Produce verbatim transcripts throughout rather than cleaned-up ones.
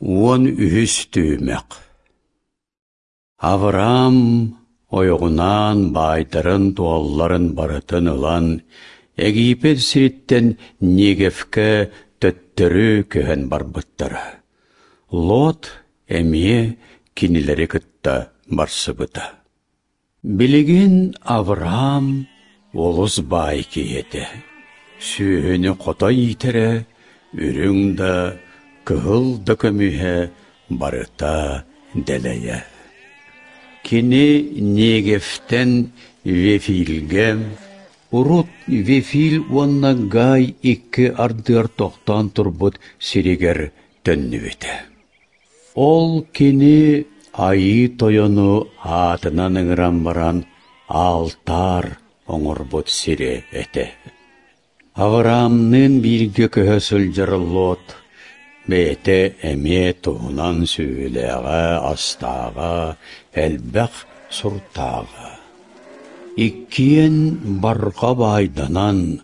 Уон үһүс түһүмэх. Авраам ойоҕунаан баайдарын-дуолларын барытын ылан, Египет сириттэн Негевкэ төттөрү көһөн барбыттара. Лот эмиэ кинилэри кытта барсыбыта. Билигин Авраам олус баай киһи этэ. Сүөһүнү хото иитэрэ, үрүҥ да, кыһыл да көмүһэ барыта дэлэйэ. Кини Негевтэн Вефилгэ, урут Вефил уонна Гай икки ардыгар тохтоон турбут сиригэр төннүбүтэ. Ол кини Айыы Тойону аатынан ыҥыран баран алтаар оҥорбут сирэ этэ. Авраамныын бииргэ көһө сылдьар Лот бэйэтэ эмиэ туһунан сүөһүлээҕэ, астааҕа, элбэх суртааҕа. Иккиэн барҕа баайданан,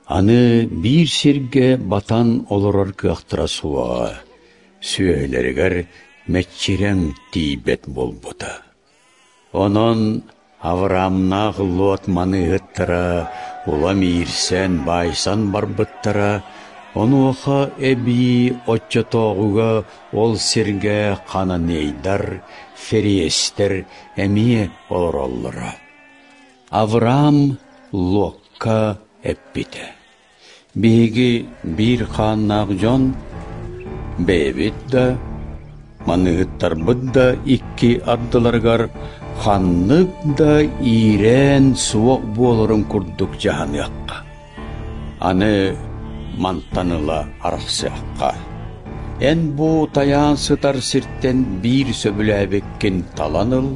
аны биир сиргэ батан олорор кыахтара суоҕа, сүөһүлэригэр мэччирэҥ тиийбэт буолбута. Онон Авраамнаах Лот маныыһыттара улам иирсэн, баайсан барбыттара, онуоха эбии оччотооҕуга ол сиргэ хананейдар, фериэстэр эмиэ олороллоро. Авраам Локка эппитэ: «Биһиги биир хааннаах дьон, бэйэбит да, маныыһыттарбыт да икки ардыларыгар ханнык да иирээн суох буоларын курдук дьаһаныахха. Аны мантан ыла арахсыахха. Эн бу тайаан сытар сиртэн биир сөбүлээбиккин талан ыл,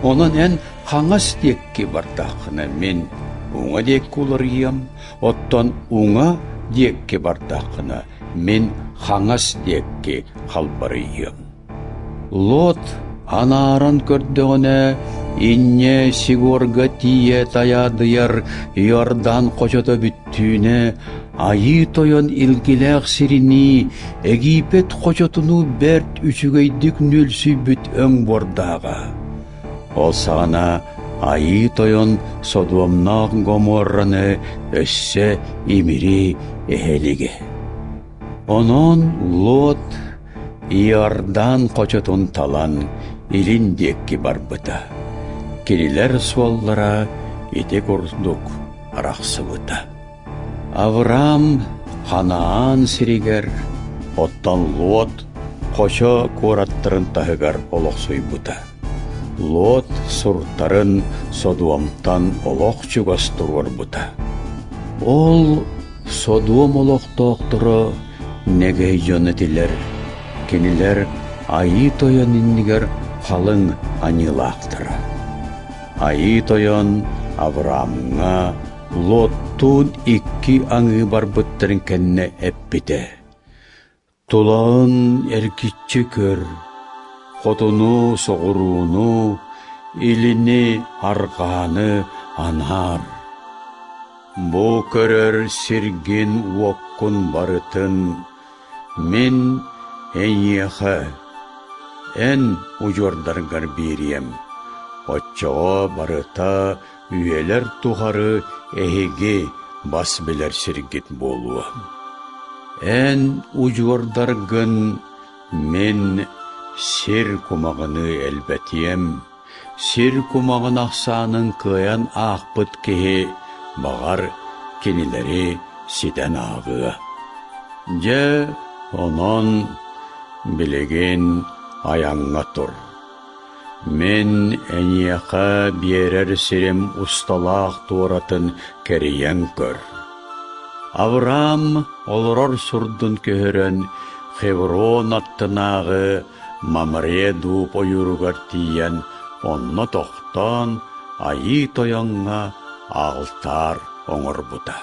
онон эн хаҥас диэки бардаххына мин уҥа диэки уларыйыам, оттон уҥа диэки бардаххына мин хаҥас диэки халбарыйыам». Лот анааран көрдөҕүнэ, инньэ Сигорга тиийэ тайаадыйар Иордан хочото бүттүүнэ Айыы Тойон илгилээх сиринии Египет хочотунуу бэрт үчүгэйдик нүөлсүйбүт өҥ буордааҕа. Ол саҕана Айыы Тойон Содуомнаах Гоморраны өссө имири эһэлигэ. Онон Лот Иордан хочотун талан илин диэки барбыта. Кинилэр суоллара ити курдук арахсыбыта. Авраам Ханаан сиригэр, оттон Лот хочо куораттарын таһыгар олохсуйбута. Лот суртарын Содуомтан олох чугас туруорбута. Ол Содуом олохтоохторо нэгэй дьон этилэр, кинилэр Айыы Тойон иннигэр халыҥ аньыылаахтара. Айыы Тойон Авраамҥа Лоттуун икки аҥыы барбыттарын кэннэ эппитэ: «Тулаҕын эргиччи көр, хотуну, соҕурууну, илини, арҕааны анаар. Бу көрөр сиргин-уоккун барытын мин эйиэхэ, эн удьуордаргар биэриэм, оччоҕо барыта үйэлэр тухары эһиги бас билэр сиргит буолуо. Эн удьуордаргын мин сир кумаҕыныы элбэтиэм, сир кумаҕын ахсаанын кыайан аахпыт киһи, баҕар, кинилэри ситэн ааҕыа. Дьэ, онон билигин айаҥҥа тур. Мин эйиэхэ биэрэр сирим усталаах туоратын кэрийэн көр». Авраам олорор сурдун көһөрөн Хеврон аттынааҕы Мамре дууп ойууругар тиийэн онно тохтоон Айыы Тойоҥҥо алтаар оҥорбута.